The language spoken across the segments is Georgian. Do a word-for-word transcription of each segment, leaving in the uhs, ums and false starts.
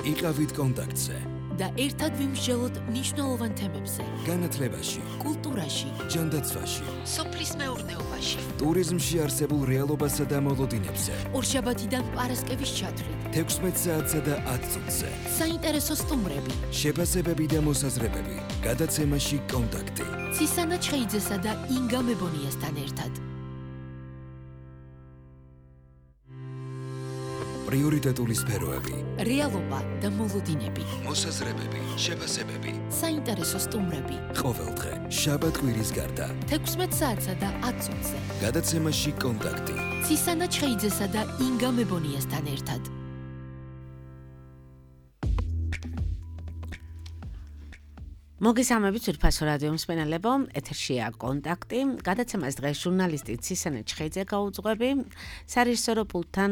იყავით კონტაქტზე და ერთად ვიმსჯელოთ მნიშვნელოვან თემებზე. განათლებაში, კულტურაში, ჯანდაცვაში, სოფლის მეურნეობაში, ტურიზმში არსებულ რეალობასა და მოლოდინებზე. ორშაბათიდან პარასკევის ჩათვლით, თექვსმეტ საათსა და ათ წუთზე. საინტერესო სტუმრები, შეფასებები და მოსაზრებები. გადაცემაში კონტაქტი. ცისანა ჩხეიძესა და ინგა მებონიასთან ერთად. პრიორიტეტული სფეროები. რეალობა და მოლოდინები. მოსაზრებები, შეფასებები. საინტერესო სტუმრები. ყოველდღე, შაბათ-კვირის გარდა. თექვსმეტ საათსა და ათ წუთზე. გადაცემაში კონტაქტი. ცისანა ჩხეიძესა და ინგა მებონიასთან ერთად. მოგესალმებით ძვირფასო რადიო მსმენელებო, ეთერშია კონტაქტი. გადაცემას დღეს ჟურნალისტი ცისანა ჩხეიძე გაუძღვები, სარეჟისორო პულტთან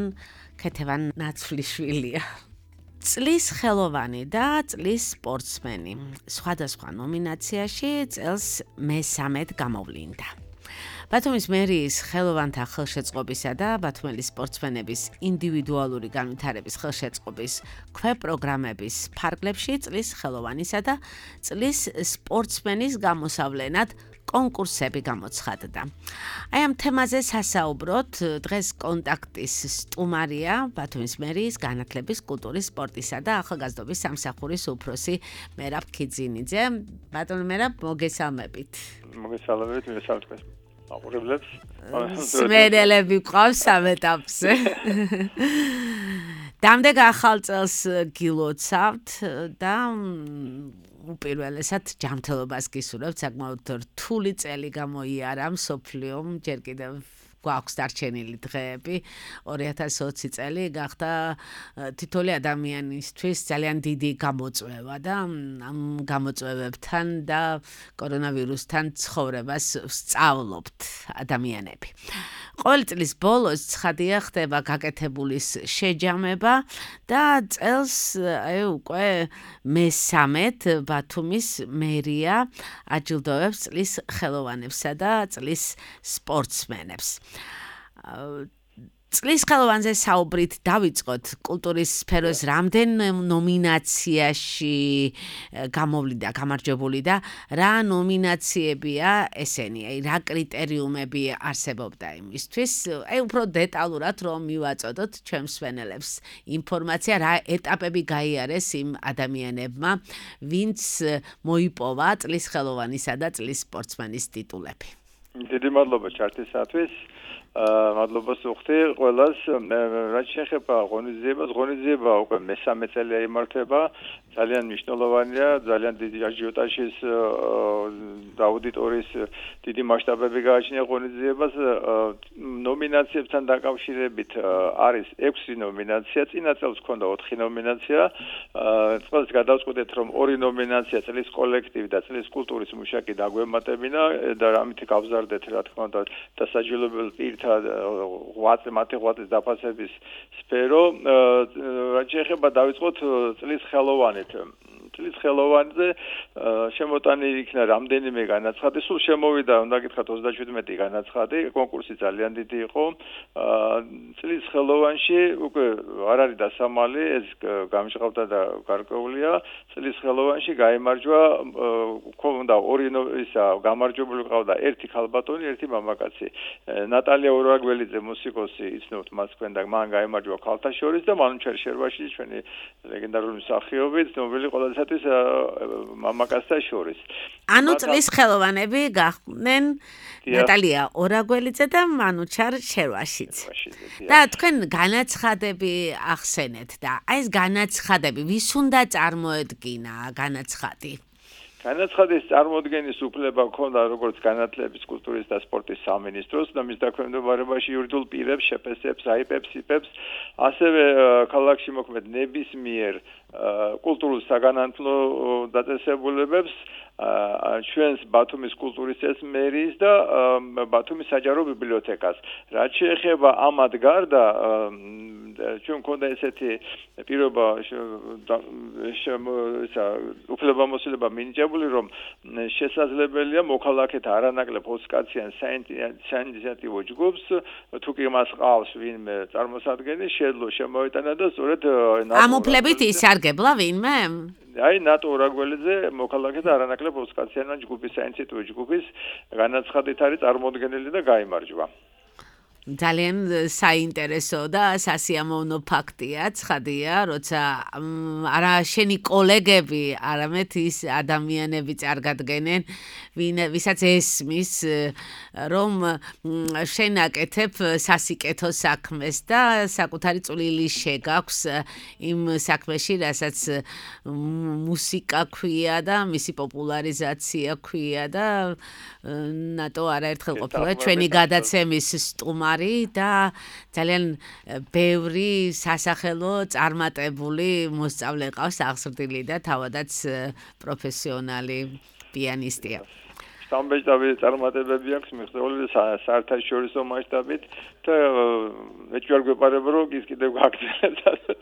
ქეთევან ნაცვლიშვილია. წლის ხელოვანი და წლის სპორტსმენი. სხვადასხვა ნომინაციაში წელს მესამედ გამოვლინდა. ბათუმის მერიის ხელოვანთა ხელშეწყობისა და ბათუმელი სპორტსმენების ინდივიდუალური განვითარების ხელშეწყობის ქვეპროგრამების ფარგლებში წლის ხელოვანისა და წლის სპორტსმენის გამოსავლენად კონკურსები გამოცხადდა. აი ამ თემაზე სასაუბროთ დღეს კონტაქტის სტუმარია ბათუმის მერიის განათლების, კულტურის, სპორტისა და ახალგაზრდობის სამსახურის უფროსი მერაბ ქიძინიძე. ბატონო მერაბ, მოგესალმებით. მოგესალმებით, მოგესალმებით. აყურებლებს. სმენელები ყავს სამ ეტაპზე. დამდეგ ახალ წელს გილოცავთ და უპირველესად ჯანმრთელობას გისურვებთ, საკმაოდ რთული წელი გამოიარა მსოფლიომ, ჯერ კიდევ გვაქვს დარჩენილი დღეები, ორი ათას ოცი წელი გახდა თითოეული ადამიანისთვის ძალიან დიდი გამოწვევა და ამ გამოწვევებთან და კორონავირუსთან ცხოვრებას ვსწავლობთ ადამიანები. ყოველი წლის ბოლოს ცხადია ხდება გაკეთებულის შეჯამება და წელს აი უკვე მესამედ ბათუმის მერია აჯილდოვებს წლის ხელოვანებსა და წლის სპორტსმენებს. წლის ხელოვანზე საუბრით დავიწყოთ. კულტურის სფეროს რამდენ ნომინაციაში გამოვლინდა გამარჯვებული და რა ნომინაციებია ესენი, აი რა კრიტერიუმები არსებობდა იმისთვის, აი უფრო დეტალურად რომ მივაწოდოთ ჩვენ მსმენელებს ინფორმაცია, რა ეტაპები გაიარეს იმ ადამიანებმა, ვინც მოიპოვა წლის ხელოვანისა და წლის სპორტსმენის ტიტულები. დიდი მადლობა ჩართვისათვის. მადლობას ვუხდი ყველას. რაც შეეხება ღონისძიებას, ღონისძიება უკვე მესამე წელია იმართება. ძალიან მნიშვნელოვანია, ძალიან დიდი აჟიოტაჟის და აუდიტორიის დიდი მასშტაბები გააჩნია ღონისძიებას. ნომინაციებთან დაკავშირებით არის ექვსი ნომინაცია, წინა წელს ჰქონდა ოთხი ნომინაცია. წელს გადავწყვიტეთ, რომ ორი ნომინაცია წლის კოლექტივი და წლის კულტურის მუშაკი დაგვემატებინა და ამით გავზარდეთ, რა თქმა უნდა, დასაჯილობელ პირთა ღვაწლ მათი ღვაწლის დაფასების სფერო. რაც შეეხება დავიწყოთ წლის ხელოვანით. წლის ხელოვანზე შემოტანილი იქნა რამდენიმე განაცხადი, სულ შემოვიდა, უნდა გითხრათ ოცდაშვიდმეტი განაცხადი, კონკურსი ძალიან დიდი იყო. წლის ხელოვანში უკვე არ არის დასამალი, ეს გამჟღავდა და გარკვეულია. წლის ხელოვანში გაიმარჯვა, ქონდა ორი ისა გამარჯვებული ყავდა, ერთი ქალბატონი, ერთი მამაკაცი. ნატალია ურაგველიძე მუსიკოსი, იცნობთ მას თქვენ და მან გაიმარჯვა ქალთა შორის და მანუჩარ შერვაში ჩვენი ლეგენდარული მსახიობი, ცნობილი ყველა მამაკაცთა შორის. ანუ წლის ხელოვანები გახდნენ ნატალია ორაგველიძე და მანუჩარ შერვაშიც. და თქვენ განაცხადები ახსენეთ და აი ეს განაცხადები ვის უნდა წარმოედგინა განაცხადი? განაცხადის წარმოდგენის უფლება ჰქონდა როგორც განათლების, კულტურის და სპორტის სამინისტროს და მის დაქვემდებარებაში იურიდიულ პირებს, შეფესებს, აიპებს, იპებს, ასევე ქალაქში მოქმედ ნებისმიერ კულტურულ საგანმანათლებლო დაწესებულებებს, ჩვენს ბათუმის კულტურის წესს მერის და ბათუმის საჯარო ბიბლიოთეკას. რაც შეეხება ამად გარდა ჩვენ მქონდა ესეთი პირობა უფლებამოსილება მინიჭებული, რომ შესაძლებელია მოქალაქეთა არანაკლებ ოცკაციან საინიციატივო ჯგუფს თუ კი მას ყავს ვინმე წარმოსადგენელი შეძლო შემოეტანა და სწორედ ამ უფლებით ისარგებლა ვინმე? აი ნატო რაგველიძე მოქალაქეთა არანაკლებ ოცკაციან ჯგუფის საინიციატივო ჯგუფის განაცხადით არის წარმოუდგენელი და გაიმარჯვა. ძალიან საინტერესო და სასიამოვნო ფაქტია, ცხადია, როცა არა შენი კოლეგები, არამედ ის ადამიანები წარგადგენენ, ვისაც ესმის, რომ შენ აკეთებ სასიკეთო საქმეს და საკუთარი წვლილი შეგაქვს იმ საქმეში, რასაც მუსიკა ქვია და მისი პოპულარიზაცია ქვია და ნატო არაერთხელ ყოფილა ჩვენი გადაცემის სტუმარი და ძალიან ბევრი სასახელო წარმატებული მოსწავლე ყავს აღზრდილი და თავადაც პროფესიონალი პიანისტია. სამბეჭდავი წარმატებები აქვს მიღწეული საერთაშორისო მასშტაბით და მეც ვერ გვეპარება რომ ის კიდევ გაგრძელებს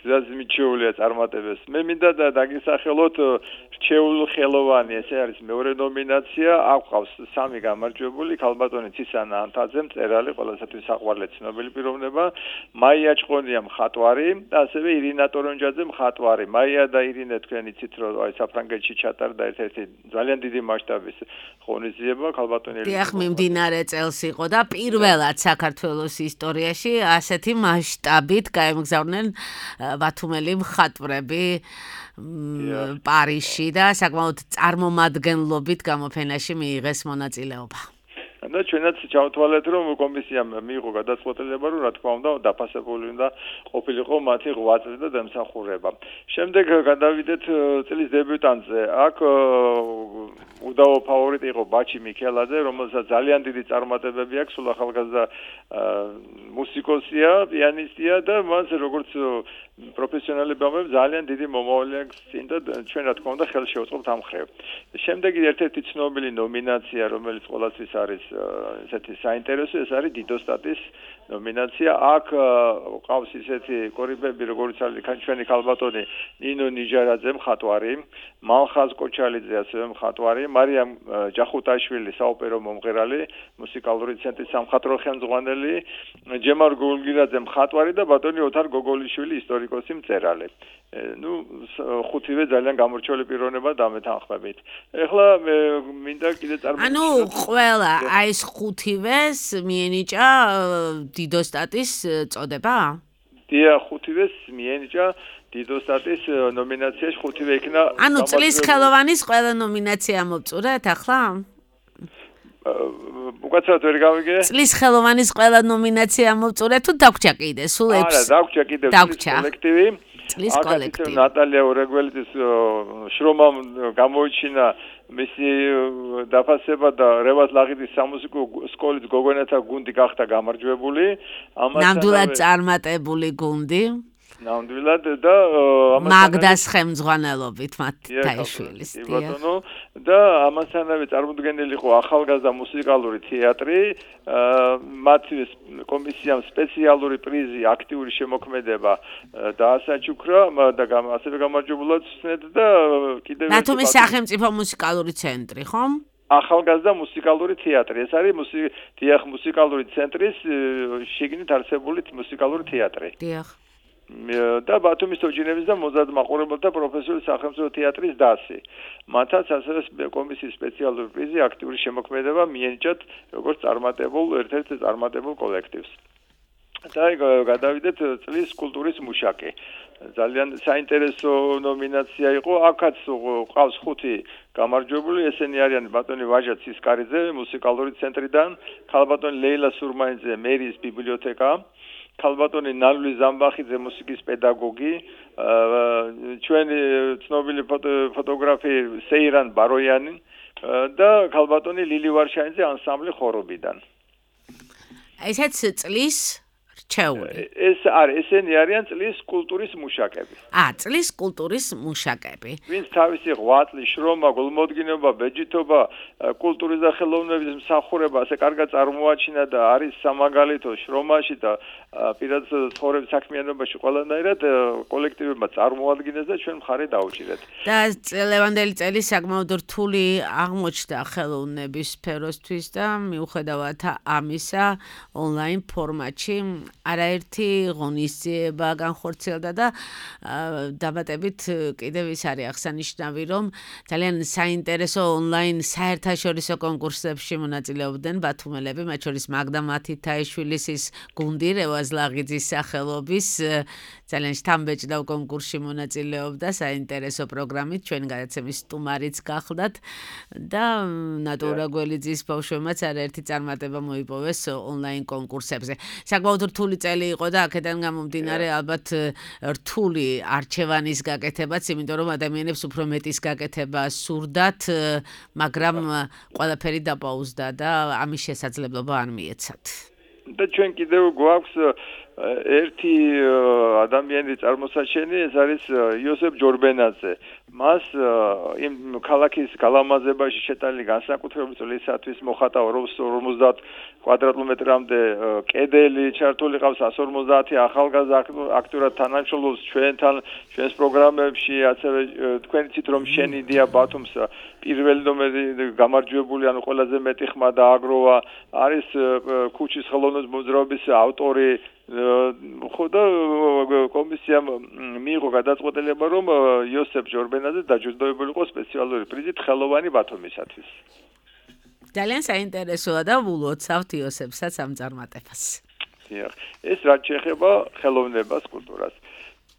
გზას მიჩვეულია წარმატებებს. მე მინდა და დაგისახელოთ რჩეულ ხელოვანი, ესე არის მეორე ნომინაცია, აყვავს სამი გამარჯვებული, ქალბატონი ცისანა ანთაძე, მწერალი, ყველასათვის საყვარლე ცნობილი პიროვნება, მაია ჭყონია მხატვარი და ასევე ირინა ტორონჯაძე მხატვარი. მაია და ირინე თქვენ იცით რომ აი საფრანგეთში ჩატარდა ერთ-ერთი ძალიან დიდი მასშტაბის ღონისძიება ქალბატონელი. დიახ, მიმდინარე წელს იყო და პირველად საქართველოს ისტორიაში ასეთი მასშტაბით გაემგზავრნენ ბათუმელი მხატვრები პარიზში და საკმაოდ წარმომადგენლობით გამოფენაში მიიღეს მონაწილეობა. და ჩვენაც ჩავთვალეთ რომ კომისიამ მიიღო გადაწყვეტილება რომ რა თქმა უნდა დაფასებული უნდა ყოფილიყო მათი ღვაწლი და დამსახურება. შემდეგ გადავიდეთ წლის დებიუტანტზე. აქ უდავო ფავორიტი იყო ბაჩი მიქელაძე, რომელსაც ძალიან დიდი წარმატებები აქვს, სულ ახალგაზრდა მუსიკოსია, პიანისტია და მას როგორც პროფესიონალი ბავშვი ძალიან დიდი მომავალი აქვს წინ და ჩვენ რა თქმა უნდა ხელს შევწყობთ ამ ხრივ. შემდეგი ერთ-ერთი ცნობილი ნომინაცია, რომელიც ყველასთვის არის ესეთი საინტერესო, ეს არის დიდოსტატის ნომინაცია. აქ ყავს ისეთი კორიფეები, როგორც არის ჩვენი ქალბატონი ნინო ნიჟარაძე მხატვარი, მალხაზ კოჩალიძე ასევე მხატვარი, მარიამ ჯახუტაშვილი საოპერო მომღერალი, მუსიკალური ცენტრის სამხატვრო ხელმძღვანელი, ჯემარ გულგირაძე მხატვარი და ბატონი ოთარ გოგოლიშვილი ისტორიკოსი მწერალი. ნუ ხუთივე ძალიან გამორჩეული პიროვნება დამეთანხმებით. ეხლა მინდა კიდე წარმოვიდგინოთ. ანუ ყველა აი ეს ხუთივეს მიენიჭა დიდოსტატის წოდება? დიახ, ხუთივეს მიენიჭა დიდოსტატის ნომინაციაში ხუთივე იქნა. ანუ წლის ხელოვანის ყველა ნომინაცია მოვწურეთ ახლა? უკაცრავად ვერ გავიგე. წლის ხელოვანის ყველა ნომინაცია მოვწურეთ თუ დაგვრჩა კიდე სულ ექვს? არა, დაგვრჩა კიდე წლის კოლექტივი. წლის კოლექტივი. ნატალია ორეგველიძის შრომამ გამოიჩინა მისი დაფასება და რევაზ ლაღიძის სამუსიკო სკოლის გოგონათა გუნდი გახდა გამარჯვებული. ნამდვილად წარმატებული გუნდი. ნამდვილად და მაგდას ხელმძღვანელობით მათთაიშვილის ბატონო და ამასთანავე წარმოუდგენელი იყო ახალგაზრდა მუსიკალური თეატრი, მათი კომისიამ სპეციალური პრიზი აქტიური შემოქმედება დაასაჩუქრა და ასევე გამარჯვებულად ცნეთ და კიდევ ბათუმის სახელმწიფო მუსიკალური ცენტრი, ხომ? ახალგაზრდა მუსიკალური თეატრი. ეს არის დიახ მუსიკალური ცენტრის შიგნით არსებული მუსიკალური თეატრი. დიახ. და ბათუმის თოჯინების და მოზარდ მაყურებელთა პროფესიული სახელმწიფო თეატრის დასი. მათაც ასევე კომისიის სპეციალური პრიზი აქტიური შემოქმედება მიენიჭათ როგორც წარმატებულ ერთ-ერთ წარმატებულ კოლექტივს. და გადავიდეთ წლის კულტურის მუშაკი. ძალიან საინტერესო ნომინაცია იყო. აქაც ყავს ხუთი გამარჯვებული, ესენი არიან ბატონი ვაჟა ცისკარიძე მუსიკალური ცენტრიდან, ქალბატონი ლეილა სურმაიძე მერის ბიბლიოთეკა, ქალბატონი ნალვი ზამბახიძე მუსიკის პედაგოგი, ჩვენი ცნობილი ფოტოგრაფი სეირან ბაროიანი და ქალბატონი ლილი ვარშაინძე ანსამბლი ხორობიდან. ესეც წლის რჩეული. ეს არის, ესენი არიან წლის კულტურის მუშაკები. ა, წლის კულტურის მუშაკები. ვინც თავისი ღვაწლი, შრომა, გულმოდგინობა, ბეჯითობა, კულტურის და ხელოვნების მსახურება ასე კარგად წარმოაჩინა და არის სამაგალითო შრომაში და პირად ცხოვრების საქმიანობაში ყველანაირად კოლექტივებმა წარმოადგენს და ჩვენ მხარი დაუჭირეთ. და ლევანდელი წელი საკმაოდ რთული აღმოჩნდა ხელოვნების სფეროსთვის და მიუხედავად ამისა ონლაინ ფორმატში არაერთი ღონისძიება განხორციელდა და დაბატებით კიდევ ის არის აღსანიშნავი, რომ ძალიან საინტერესო ონლაინ საერთაშორისო კონკურსებში მონაწილეობდნენ ბათუმელები, მათ შორის მაგდა მათითაიშვილის ის გუნდი რევაზ ლაღიძის სახელობის ძალიან შთამბეჭდავ კონკურსში მონაწილეობდა საინტერესო პროგრამით, ჩვენ გადაცემის სტუმარიც გახლდათ და ნატურა გველიძის ბავშვებმაც არაერთი წარმატება მოიპოვეს ონლაინ კონკურსებზე. საკმაოდ რთული წელი იყო და აქედან გამომდინარე ალბათ რთული არჩევანის გაკეთებაც, იმიტომ რომ ადამიანებს უფრო მეტის გაკეთება სურდათ, მაგრამ ყველაფერი დაპაუზდა და ამის შესაძლებლობა არ მიეცათ. და ჩვენ კიდევ გვაქვს ერთი ადამიანი წარმოსაჩენი, ეს არის იოსებ ჯორბენაძე. მას იმ ქალაქის გალამაზებაში შეტანილი განსაკუთრებული წლისათვის მოხატა ორმოცდაათ კვადრატმეტრამდე კედელი ჩართული ყავს εκατს ორმოცდაათი ახალგაზრდა აქტიურად თანამშრომლობს ჩვენთან, ჩვენს პროგრამებში, ასევე თქვენ იცით რომ შენიდია ბათუმს პირველი ნომერი გამარჯვებული, ანუ ყველაზე მეტი ხმა დააგროვა, არის ქუჩის ხელოვნების მოძრაობის ავტორი ხო და კომისიამ მიიღო გადაწყვეტილება, რომ იოსებ ჯორბენაძე დაჯილდოვებული იყო სპეციალური პრიზით ხელოვანი ბათუმისათვის. ძალიან საინტერესოა და ვულოცავთ იოსებსაც ამ წარმატებას. ეს რაც შეეხება ხელოვნებას, კულტურას.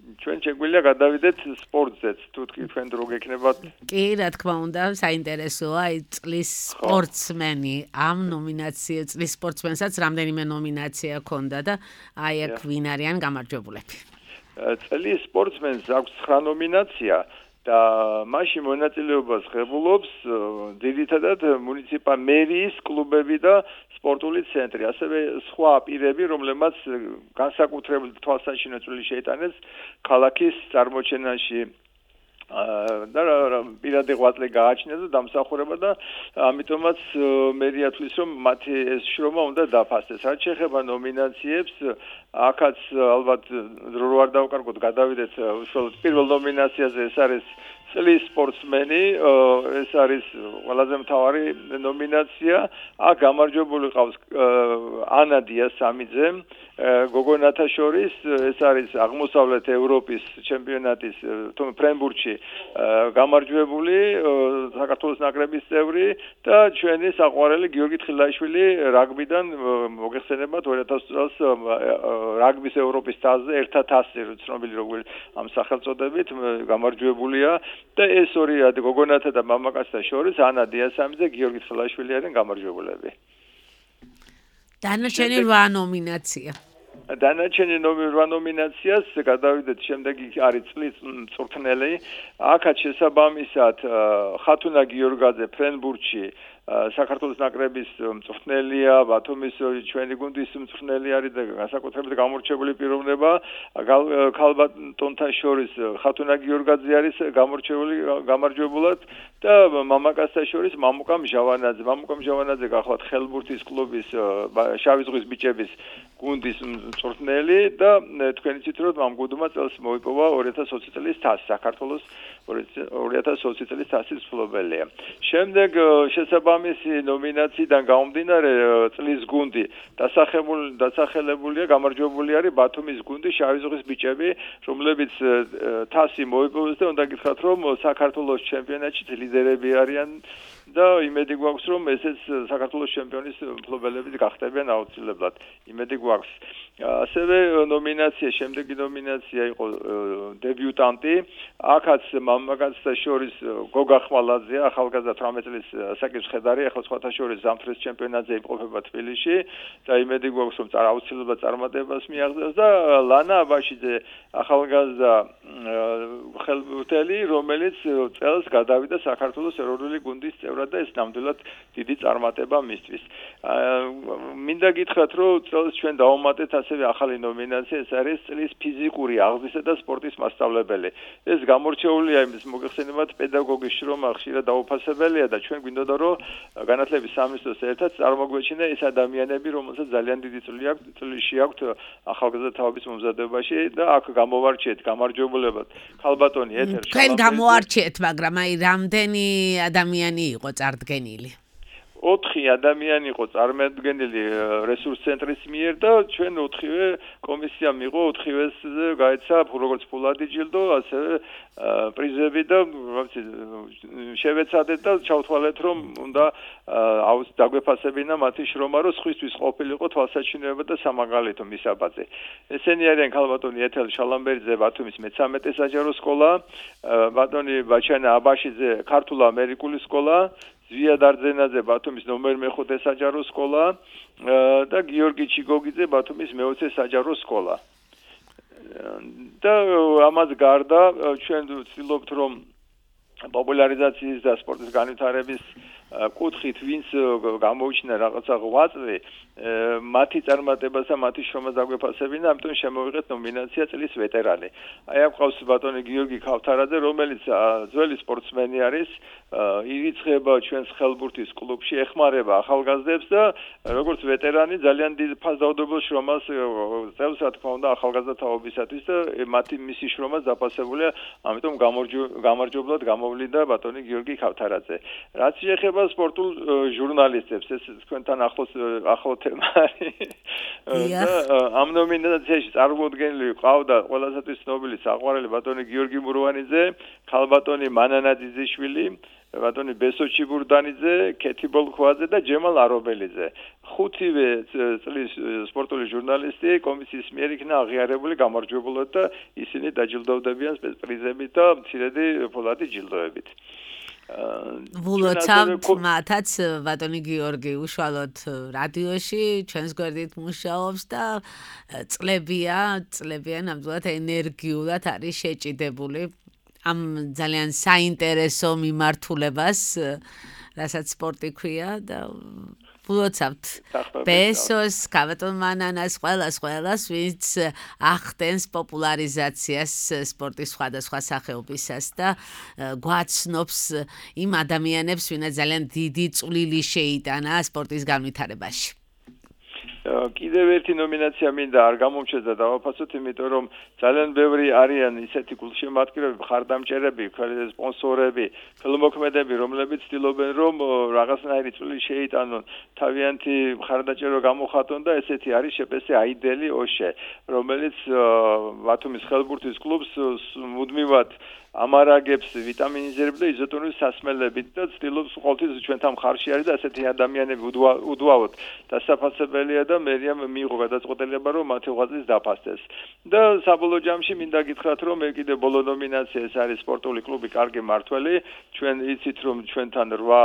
ჩვენ შეგვიძლია გადავიდეთ სპორტზეც, თუ თქვენ დრო გექნებათ. კი, რა თქმა უნდა, საინტერესოა წლის სპორტსმენი. ამ ნომინაციაზე წლის სპორტსმენსაც რამდენიმე ნომინაცია ჰქონდა და აი აქ ვინ არიან გამარჯვებულები. წლის სპორტსმენს აქვს ცხრა ნომინაცია და მასში მონაწილეობას ღებულობს ძირითადად მუნიციპალ მერიის კლუბები და სპორტული ცენტრი, ასევე სხვა პირები, რომლებმაც განსაკუთრებული თვალსაჩინო წვლილი შეიტანეს ქალაქის წარმოჩენაში და პირადი ღვაწლი გააჩნიათ და დამსახურება და ამიტომაც მერია თვლის, რომ მათი ეს შრომა უნდა დაფასდეს. რაც შეეხება ნომინაციებს, აქაც ალბათ დრო არ დავკარგოთ, გადავიდეთ უშუალოდ პირველ ნომინაციაზე, ეს არის წლის სპორტსმენი, ეს არის ყველაზე მთავარი ნომინაცია. აქ გამარჯვებული ყავს ანა დიასამიძე, გოგონათა შორის, ეს არის აღმოსავლეთ ევროპის ჩემპიონატის ფრენბურთში გამარჯვებული საქართველოს ნაკრების წევრი და ჩვენი საყვარელი გიორგი თხილაიშვილი რაგბიდან მოგეხსენებათ ორი ათას წელს რაგბის ევროპის თასზე ერთად თასზე ცნობილი როგორც ამ სახელწოდებით გამარჯვებულია და ეს ორი გოგონათა და მამაკაცთა შორის ანა დიასამიძე, გიორგი თხილაიშვილი არიან გამარჯვებულები. დანარჩენი რვა ნომინაცია. დანარჩენი რვა ნომინაციას გადავიდეთ, შემდეგი არის წლის მწვრთნელი. აქაც შესაბამისად ხათუნა გიორგაძე ფრენბურთში საქართველოს ნაკრების მწვრთნელია, ბათუმის ჩვენი გუნდის მწვრთნელი არის და განსაკუთრებით გამორჩეული პიროვნება. ქალბატონთა შორის ხათუნა გიორგაძე არის გამორჩეული გამარჯვებულად და მამაკაცთა შორის მამუკა მჟავანაძე. მამუკა მჟავანაძე გახლავთ ხელბურთის კლუბის შავი ზღვის ბიჭების გუნდის მწვრთნელი და თქვენ იცით რომ ამ გუნდმა წელს მოიპოვა ორი ათას ოცი წლის თასი, საქართველოს ორი ათას ოცი წლის თასის მფლობელია. შემდეგ შესაბამისი ნომინაციიდან გამომდინარე წლის გუნდი დასახელებულია, გამარჯვებული არის ბათუმის გუნდი შავი ზღვის ბიჭები, რომლებიც თასი მოიპოვეს და უნდა გითხრათ რომ საქართველოს ჩემპიონატში ლიდერები არიან და იმედი გვაქვს რომ ესეც საქართველოს ჩემპიონის მფლობელები გახდებიან აუცილებლად. იმედი გვაქვს. ასევე ნომინაცია, შემდეგი ნომინაცია იყო დებიუტანტი. აქაც მამაკაცთა შორის გოგა ხმალაძე, ახალგაზრდა თვრამეტ წლის საკითხ ხედარი, ახლა სხვათა შორის ზამთრის ჩემპიონატზე იმყოფება თბილისში და იმედი გვაქვს რომ აუცილებლად წარმატებას მიაღწევს და ლანა აბაშიძე, ახალგაზრდა ხელბურთელი, რომელიც წელს გადავიდა საქართველოს ეროვნული გუნდის წევრად და ეს ნამდვილად დიდი წარმატება მისთვის. მინდა გითხრათ რომ წელს ჩვენ დავუმატეთ ასე ასევე ახალი ნომინაცია, ეს არის წლის ფიზიკური აღზრდისა და სპორტის მასწავლებელი. ეს გამორჩეულია იმის მოგეხსენებათ პედაგოგის შრომა ხშირად დაუფასებელია და ჩვენ გვინდოდა რომ განათლების სამინისტროს ერთად წარმოგვეჩინა ეს ადამიანები, რომელსაც ძალიან დიდი წვლილი აქვს, წვლილი აქვს ახალგაზრდა თაობის მომზადებაში და აქ გამოვარჩიეთ, გამარჯვებულებად. ქალბატონი ეთერ თქვენ გამოარჩიეთ, მაგრამ აი რამდენი ადამიანი იყო წარდგენილი? ოთხი ადამიანი იყო წარმოადგენელი რესურს ცენტრის მიერ და ჩვენ ოთხივე კომისიამ იყო ოთხივეს გაეცა როგორც ფულადი ჯილდო, ასევე პრიზები და შევეცადეთ და ჩავთვალეთ რომ უნდა აუც დაგვეფასებინა მათი შრომა, რომ სხვისთვის ყოფილიყო თვალსაჩინოება და სამაგალითო მისაბაძე. ესენი არიან ქალბატონი ეთელ შალამბერიძე ბათუმის მეთერთმეტე საჯარო სკოლა, ბატონი ბაჩანა აბაშიძე ქართულ-ამერიკული სკოლა, ზვია დარძენაძე ბათუმის ნომერ მეხუთე საჯარო სკოლა და გიორგი ჩიგოგიძე ბათუმის მეოცე საჯარო სკოლა. და ამას გარდა ჩვენ ვცდილობთ რომ პოპულარიზაციის და სპორტის განვითარების კუთხით ვინც გამოუჩინა რაღაცა ღვაწლი მათი წარმატებას და მათი შრომას დაგვეფასებინა, ამიტომ შემოვიღეთ ნომინაცია წლის ვეტერანი. აი აქ ყავს ბატონი გიორგი ქავთარაძე, რომელიც ძველი სპორტსმენი არის, ირიცხება ჩვენს ხელბურთის კლუბში, ეხმარება ახალგაზრდებს და როგორც ვეტერანი ძალიან დიდ ფასდაუდებელ შრომას წევს, რა თქმა უნდა, ახალგაზრდა თაობისათვის და მათი მისი შრომას დაფასებულია, ამიტომ გამარჯვებლად გამოვლინდა ბატონი გიორგი ქავთარაძე. რაც შეეხება სპორტულ ჟურნალისტებს, ეს თქვენთან ახლოს ახლო თემა არის. და ამ ნომინაციაში წარმოუდგენელი ყავდა ყველასათვის ცნობილი საყვარელი ბატონი გიორგი მურვანიძე, ქალბატონი მანანა ძიძიშვილი, ბატონი ბესო ჩიბურდანიძე, ქეთი ბოლქვაძე და ჯემალ არობელიძე. ხუთივე წლის სპორტული ჟურნალისტი კომისიის მიერ იქნა აღიარებული გამარჯვებულად და ისინი დაჯილდოვდებიან სპეცპრიზებით და მცირედი ფულადი ჯილდოებით. ვულოცავთ მათაც ბატონი გიორგი უშუალოდ რადიოში ჩვენს გვერდით მუშაობს და წლებია, წლებია ნამდვილად ენერგიულად არის შეჭიდებული ამ ძალიან საინტერესო მიმართულებას, რასაც სპორტი ქვია და ვულოცავთ ბესოს, ქალბატონ მანანას, ყველას, ყველას, ვინც ახდენს პოპულარიზაციას სპორტის სხვადასხვა სახეობისას და გვაცნობს იმ ადამიანებს, ვინაც ძალიან დიდი წვლილი შეიტანა სპორტის განვითარებაში. კიდევ ერთი ნომინაცია მინდა არ გამომჩეს და დავაფასოთ, იმიტომ რომ ძალიან ბევრი არიან ისეთი გულშემატკივრები, მხარდამჭერები, სპონსორები, ფილმოქმედები, რომლებიც ცდილობენ რომ რაღაცნაირი წვლილი შეიტანონ, თავიანთი მხარდაჭერო გამოხატონ და ესეთი არის შეპესე აიდელი ოშე, რომელიც ბათუმის ხელბურთის კლუბს მუდმივად ამარაგებს ვიტამინიზებით და იზოტონური სასმელებით და ცდილობს ყოველთვის ჩვენთან მხარში არის და ასეთი ადამიანები უდავოდ დასაფასებელია და მერია მიიღო გადაწყვეტილება რომ მათი ღვაწლის დაფასდეს. და საბოლოო ჯამში მინდა გითხრათ რომ მე კიდე ბოლო ნომინაცია ეს არის სპორტული კლუბი კარგი მართველი. ჩვენ იცით რომ ჩვენთან რვა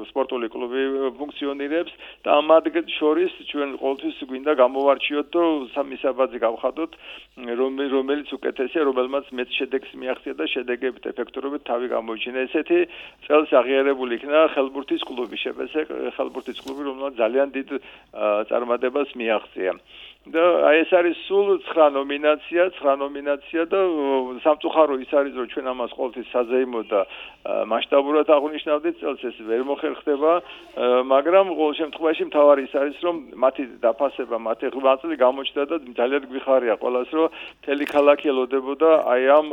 სპორტული კლუბი ფუნქციონირებს და მათ შორის ჩვენ ყოველთვის გვინდა გამოვარჩიოთ და სამისაბაძე გავხადოთ რომელიც უკეთესია, რომელმაც მეც შედეგს მიაღწია და შედეგებით ეფექტურობით თავი გამოიჩინა. ესეთი წელს აღიარებული იქნა ხელბურთის კლუბი, შეპესე ხელბურთის კლუბი, რომელმაც ძალიან დიდ წარმატებას მიაღწია. და აი ეს არის სულ ცხრა ნომინაცია, ცხრა ნომინაცია და სამწუხარო ის არის რომ ჩვენ ამას ყოველთვის საზეიმო და მასშტაბურად აღნიშნავდით წელს ეს ვერ მოხერხდება, მაგრამ ყოველ შემთხვევაში მთავარი ის არის რომ მათი დაფასება, მათი ღვაწლი გამოჩნდა და ძალიან გვიხარია ყველას რომ მთელი ქალაქი ელოდებოდა აი ამ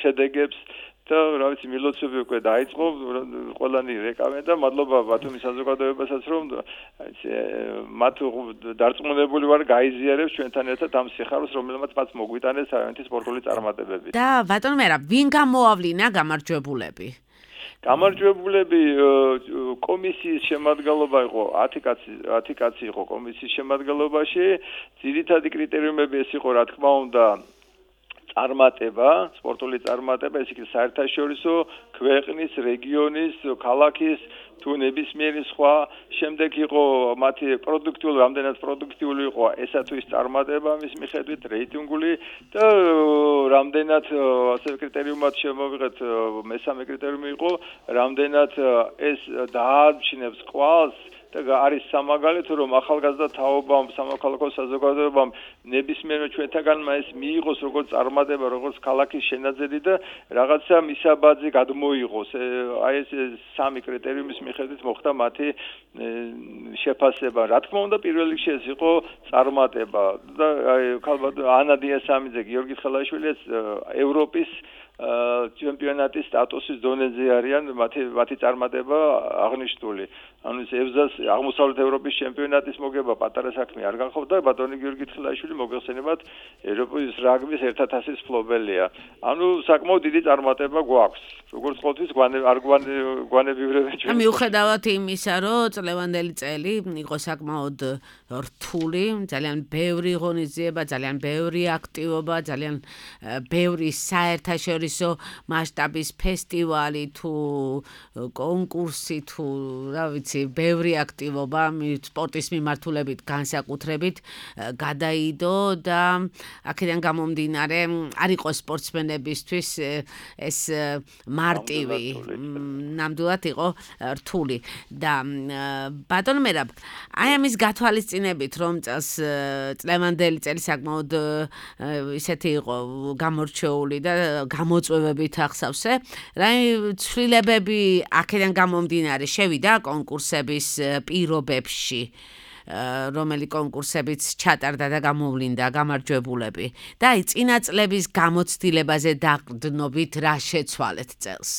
შედეგებს და რა ვიცი მილოცები უკვე დაიწყო ყველანი რეკავენ და მადლობა ბათუმის საზოგადოებასაც რომ მათ დარწმუნებული ვარ გაიზიარებს ჩვენთან ერთად ამ სიხარულს რომელმაც მათ მოგვიტანეს თავიანთი სპორტული წარმატებები. და ბატონ მერაბ, ვინ გამოავლინა გამარჯვებულები? გამარჯვებულები კომისიის შემადგენლობა იყო ათი კაცი იყო კომისიის შემადგენლობაში. ძირითადი კრიტერიუმები ეს იყო რა თქმა უნდა წარმატება, სპორტული წარმატება, ეს იქნება საერთაშორისო, ქვეყნის, რეგიონის, ქალაქის თუ ნებისმიერი სხვა. შემდეგ იყო მათი პროდუქტიული, რამდენად პროდუქტიული იყო ესა თუ ის წარმატება მის მიხედვით, რეიტინგული და რამდენად ასე კრიტერიუმად შემოვიღეთ, მესამე კრიტერიუმი იყო, რამდენად ეს დაარჩინებს კვალს და არის სამაგალითო რომ ახალგაზრდა თაობამ სამოქალაქო საზოგადოებამ ნებისმიერმა ჩვენთაგანმა ეს მიიღოს როგორც წარმატება როგორც ქალაქის შენაძენი და რაღაცა მისაბაძი გადმოიღოს აი ეს სამი კრიტერიუმის მიხედვით მოხდა მათი შეფასება რა თქმა უნდა პირველ რიგში ეს იყო წარმატება და აი ქალბატ ანა დიასამიძე გიორგი ხელაშვილიც ევროპის ჩემპიონატის სტატუსის დონეზე არიან მათი მათი წარმატება აღნიშნული ანუ ეს ევზას აღმოსავლეთ ევროპის ჩემპიონატის მოგება პატარა საქმე არ გახობდა ბატონი გიორგი ხელაშვილი მოგეხსენებათ ევროპის რაგბის ერთად ასის ფლობელია ანუ საკმაოდ დიდი წარმატება გვაქვს როგორც ყოველთვის არ გვანებივრებენ ჩვენ მიუხედავად იმისა რომ წლევანდელი წელი იყო საკმაოდ რთული ძალიან ბევრი ღონისძიება ძალიან ბევრი აქტივობა ძალიან ბევრი საერთაშორისო მასშტაბის ფესტივალი თუ კონკურსი თუ რა ვიცი ბევრი აქტივობა სპორტის მიმართულებით განსაკუთრებით გადაიდო და აქედან გამომდინარე არ იყო სპორტსმენებისთვის ეს მარტივი ნამდვილად იყო რთული და ბატონო მერაბ აი ამის გათვალისწინებით რომ წელს წლევანდელი წელი საკმაოდ ისეთი იყო გამორჩეული და გამოწვევებით ახსავსე რა ცვლილებები აქედან გამომდინარე შევიდა კონკურსების პირობებში რომელი კონკურსებიც ჩატარდა და გამოვლინდა გამარჯვებულები და აი წინა წლების გამოცდილებაზე დაყრდნობით რა შეცვალეთ წელს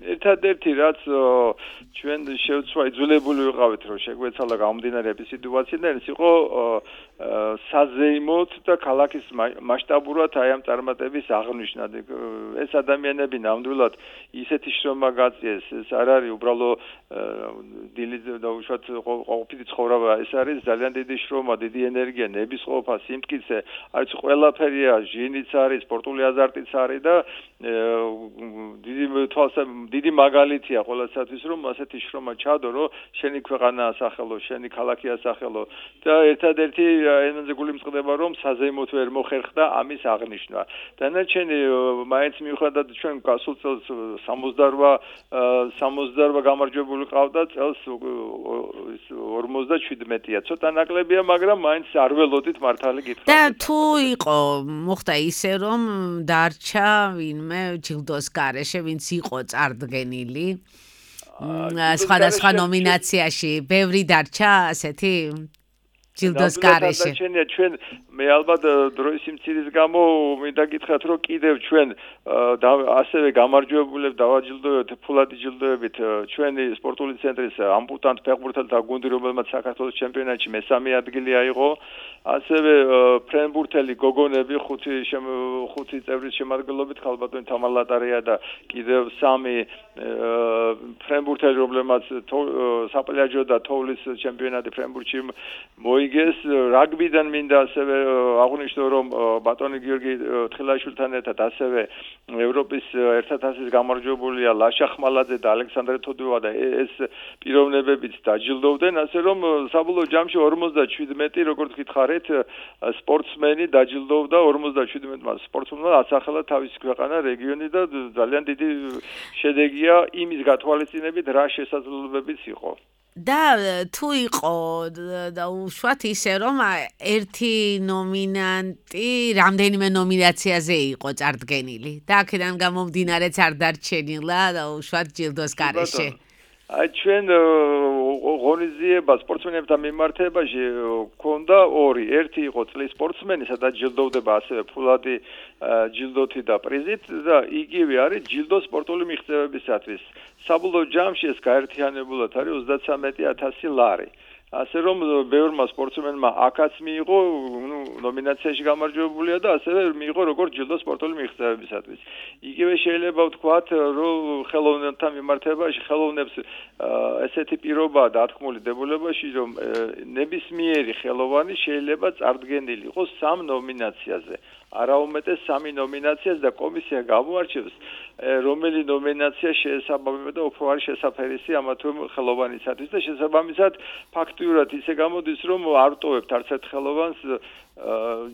ერთადერთი რაც ჩვენ შევცვა იძულებული ვიყავით რომ შეგვეცალა გამომდინარეების სიტუაციიდან ის იყო საზეიმოდ და ქალაქის მასშტაბურად აი ამ წარმატების აღნიშვნა ეს ადამიანები ნამდვილად ისეთი შრომა გაწიეს ეს არ არის უბრალო დილი და უშუალოდ ყოფილი ცხოვრება ეს არის ძალიან დიდი შრომა დიდი ენერგია ნებისყოფა სიმტკიცე არის ყველაფერია ჟინიც არის სპორტული აზარტიც არის და დიდი თვალსა დიდი მაგალითია ყველასათვის რომ ასეთი შრომა ჩადო რომ შენი ქვეყანა ასახელო შენი ქალაქი ასახელო და ერთადერთი ენაზე გული მწყდება რომ საზეიმოდ ვერ მოხერხდა ამის აღნიშვნა დანარჩენი მაინც მიუხედავად ჩვენ გასულ წელს სამოცდაოთხ გამარჯვებული ყავდა წელს ორმოცდაჩვიდმეტია ცოტა ნაკლებია მაგრამ მაინც არ ველოდით მართალი გითხრათ და თუ იყო მოხდა ისე რომ დარჩა ვინმე ჯილდოს გარეშე ვინც იყო წარდგენილი სხვადასხვა ნომინაციაში ბევრი დარჩა ასეთი ჯილდოს გარეშე ჩვენ მე ალბათ დროის სიმცირის გამო მინდა გითხრათ რომ კიდევ ჩვენ ასევე გამარჯვებულებს დავაჯილდოვებთ ფულადი ჯილდოებით ჩვენი სპორტული ცენტრის ამპუტანტ ფეხბურთელთა გუნდი რომელმაც საქართველოს ჩემპიონატში მესამე ადგილი აიღო ასევე ფრენბურთელი გოგონები ხუთი ხუთი წევრის შემადგენლობით ხალბატონი თამარ ლატარია და კიდევ სამი ფრენბურთელი რომლებმაც საპლაჟო და თოვლის ჩემპიონატი ფრენბურთში მოიგეს რაგბიდან მინდა ასევე აღნიშნო რომ ბატონი გიორგი თხილაშვილთან ერთად ასევე ევროპის ერთად ასის გამარჯვებულია ლაშა ხმალაძე და ალექსანდრე თოდუა და ეს პიროვნებებიც დაჯილდოვდნენ ასე რომ საბოლოო ჯამში ორმოცდაჩვიდმეტი როგორც გითხარით სპორტსმენი დაჯილდოვდა ორმოცდაჩვიდმეტმა სპორტსმენმა ასახელა თავისი ქვეყანა რეგიონი და ძალიან დიდი შედეგია იმის გათვალისწინებით რა შესაძლებლობებიც იყო და თუ იყო და უშუალოდ ისე რომ ერთი ნომინანტი რამდენიმე ნომინაციაზე იყო წარდგენილი და აქედან გამომდინარეც არ დარჩენილა და უშუალოდ ჯილდოს გარეშე აი ჩვენ ღონისძიება სპორტსმენებთან მიმართებაში ქონდა ორი ერთი იყო წლის სპორტსმენი სადაც ჯილდოვდება ასევე ფულადი ჯილდოთი და პრიზით და იგივე არის ჯილდო სპორტული მიღწევებისათვის საბოლოო ჯამში ეს გაერთიანებულად არის ოცდათვრამეტი ათასი ლარი ასე რომ ბევრმა სპორტსმენმა აქაც მიიღო ნუ ნომინაციაში გამარჯვებულია და ასევე მიიღო როგორც ჯილდო სპორტული მიღწევებისათვის იგივე შეიძლება ვთქვათ რომ ხელოვნებთან მიმართებაში ხელოვნებს ესეთი პირობაა დათქმული დებულებაში რომ ნებისმიერი ხელოვანი შეიძლება წარდგენილი იყოს სამ ნომინაციაზე არაუმეტეს სამი ნომინაციას და კომისია გამოარჩევს რომელი ნომინაცია შეესაბამება და უფრო არის შესაფერისი ამა თუ ხელოვანისათვის და შესაბამისად ფაქტიურად ისე გამოდის რომ არ ტოვებთ არც ერთ ხელოვანს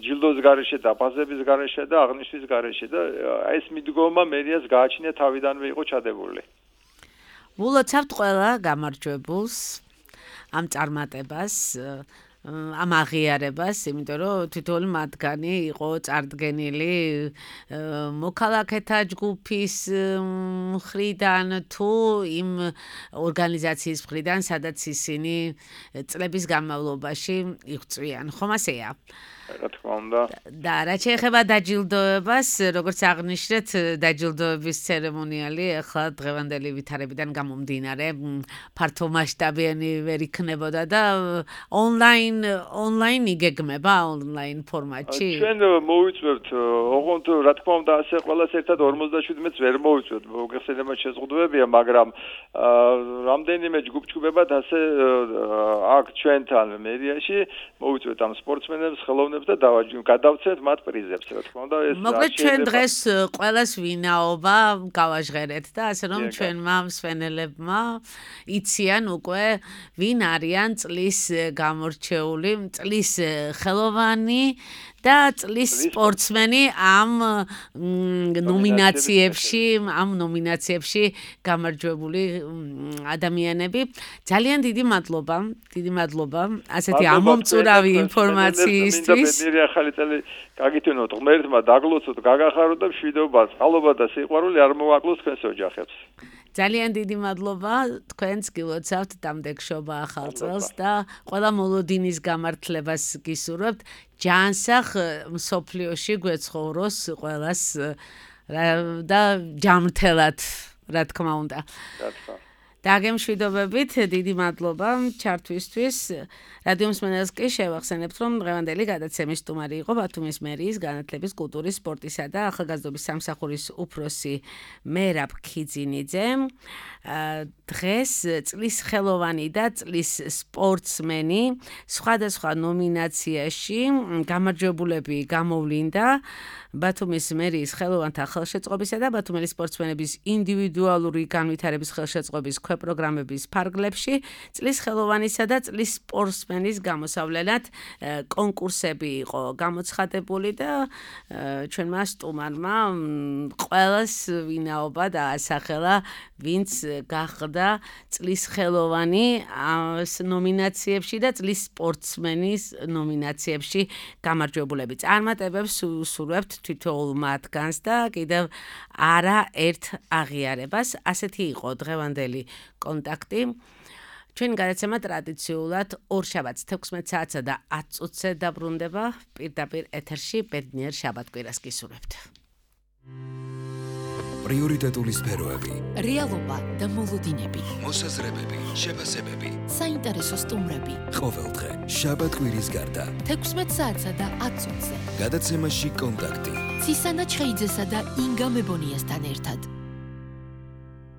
ჯილდოს გარეშე და ბაზების გარეშე და აღნიშვნის გარეშე და ეს მიდგომა მერიას გააჩნია თავიდანვე იყო ჩადებული ულოცავთ ყველა გამარჯვებულს ამ წარმატებას ამ აღიარებას, იმიტომ რომ თითოეული მათგანი იყო წარდგენილი მოქალაქეთა ჯგუფის მხრიდან თუ იმ ორგანიზაციის მხრიდან, სადაც ისინი წლების განმავლობაში იღვწვიან. ხომ ასეა? რა თქმა უნდა. და რაც შეეხება დაჯილდოებას, როგორც აღნიშნეთ, დაჯილდოების ცერემონიალი ახლა დღევანდელი ვითარებიდან გამომდინარე ფართომასშტაბიანი ვერ იქნებოდა და ონლაინ ონლაინ იგეგმება ონლაინ ფორმატში. ჩვენ მოვიწვევთ, ოღონდ რა თქმა უნდა, ასე ყველას ერთად ორმოცდაშვიდმეტს ვერ მოვიწვევთ. მოგეხსენებათ შეზღუდვებია, მაგრამ რამდენიმე ჯგუფ-ჯგუფებად ასე აქ ჩვენთან მერიაში მოვიწვევთ ამ სპორტსმენებს, ხელოვნებს და გადავცეთ მათ პრიზებს, რა თქმა უნდა, ეს მოკლედ ჩვენ დღეს ყველას ვინაობა გავაჟღერეთ და ასე რომ ჩვენმა მსვენელებმა იციან უკვე ვინ არიან წლის გამორჩეული, წლის ხელოვანი და წლის სპორტსმენი ამ ნომინაციებში, ამ ნომინაციებში გამარჯვებული ადამიანები. ძალიან დიდი მადლობა, დიდი მადლობა ასეთი ამომწურავი ინფორმაციისთვის. მერი ახალი წელი გაგითუნოთ, ღმერთმა დაგლოცოთ, გაგახაროთ და მშვიდობა, წყალობა და სიყვარული არ მოვაკლოს თქვენს ოჯახებს. ძალიან დიდი მადლობა, თქვენც გილოცავთ დამდეგშობა ახალ წელს და ყველა მოლოდინის გამართლებას გისურვებთ. ჯანსაღ მსოფლიოში გვეცხოვროს ყველას და ჯამრთელად, რა თქმა უნდა. რა თქმა. დაგემშვიდობებით, დიდი მადლობა ჩართვისთვის. რადიო მსმენელს კი შევახსენებთ, რომ დღევანდელი გადაცემის სტუმარი იყო ბათუმის მერიის განათლების, კულტურის, სპორტისა და ახალგაზრდობის სამსახურის უფროსი მერაბ ქიძინიძე. დღეს წლის ხელოვანი და წლის სპორტსმენი სხვადასხვა ნომინაციაში გამარჯვებულები გამოვლინდა ბათუმის მერიის ხელოვანთა ხელშეწყობისა და ბათუმელი სპორტსმენების ინდივიდუალური განვითარების ხელშეწყობის ქვეპროგრამების ფარგლებში წლის ხელოვანისა და წლის სპორტსმენის გამოსავლელად კონკურსები იყო გამოცხადებული და ჩვენმა სტუმარმა ყველას ვინაობა დაასახელა, ვინც გახდა წლის ხელოვანი ნომინაციებში და წლის სპორტსმენის ნომინაციებში გამარჯვებულები. წარმატებებს ვუსურვებთ თითოეულ მათგანს და კიდევ არა ერთ აღიარებას. ასეთი იყო დღევანდელი კონტაქტი. ჩვენი გადაცემა ტრადიციულად ორშაბათს თექვსმეტ საათსა და ათ წუთზე დაბრუნდება. პირდაპირ ეთერში ბედნიერ შაბათ-კვირას გისურვებთ. პრიორიტეტული სფეროები, რეალობა და მოლოდინები, მოსაზრებები, შეფასებები, საინტერესო სტუმრები. ყოველდღე შაბათ-კვირის გარდა თექვსმეტ საათსა და ათ წუთზე. გადაცემაში კონტაქტი. ცისანა ჩხეიძესა და ინგა მებონიასთან ერთად.